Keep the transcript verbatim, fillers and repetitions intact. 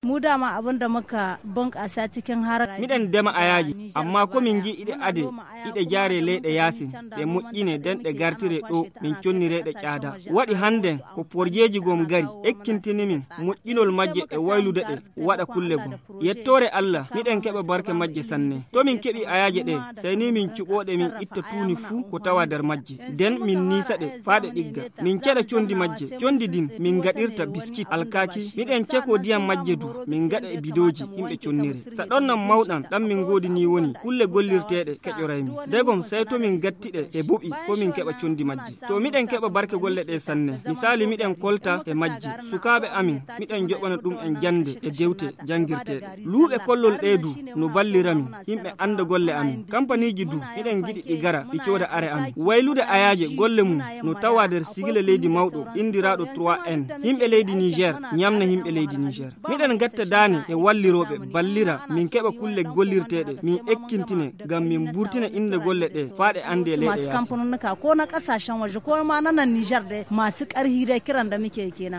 Mu dama abin da muka bunƙasa cikin haraka. Miɗen dema ayaaje, amma ko min ngi'i ɗe ade, iɗe jaare leyɗe yaasin, ɗe moƴƴine, nden ɗe gartire ɗo, min connire ɗe caada. Waɗi hannden ko porjeeji gom gari, ekkintini min moƴƴinol majje e waylude ɗe, waɗa kulle gom. Yettoore Alla, miɗen keɓa barke majje sanne. To min keɓi ayaaje ɗe, sey ni min cuɓoo ɗe, min itta tuuni fuu ko tawa nder majje. Nden min niisa ɗe faa ɗe ɗigga. Min ceɗa conndi majje. Conndi din min ngaɗirta biskit, alkaaki. Miɗen cekoo diyam majje du, min ngaɗa e bidooji, yimɓe connire. Sa ɗon nan mawɗan, ɗan min ngoodi ni woni kulle gollirteeɗe keƴoray min. Ndegom sey to min gatti ɗe e boɓi, ko min keɓa conndi majje. To miɗen keɓa barke golle ɗe sanne. Misaali, miɗen kolta e majje. Sukaaɓe amin, miɗen joɓana ɗum en jannde e dewte janngirteeɗe. Luuɓe kollol ɗe du no ballira min, yimɓe annda golle amin. Kampaniiji du, miɗen ngiɗi ɗi gara, ɗi cooda are amin. Waylude ayaaje golle mum no tawa nder sigila leydi mawɗo, inndiraaɗo trois N. Yimɓe leydi Niger, ñamna yimɓe leydi Niger. Miɗen ngatta daane e wallirooɓe, ballira, min keɓa kulle gollirteeɗe, min ekkintine, ngam min mburtina innde golle ɗe, faa ɗe anndee leyɗe masu yaasi. Kamfanonuka ko na ƙasashen waje, ko ma na nan Niger dai, masu ƙarhi dai, kiran da muke kenan.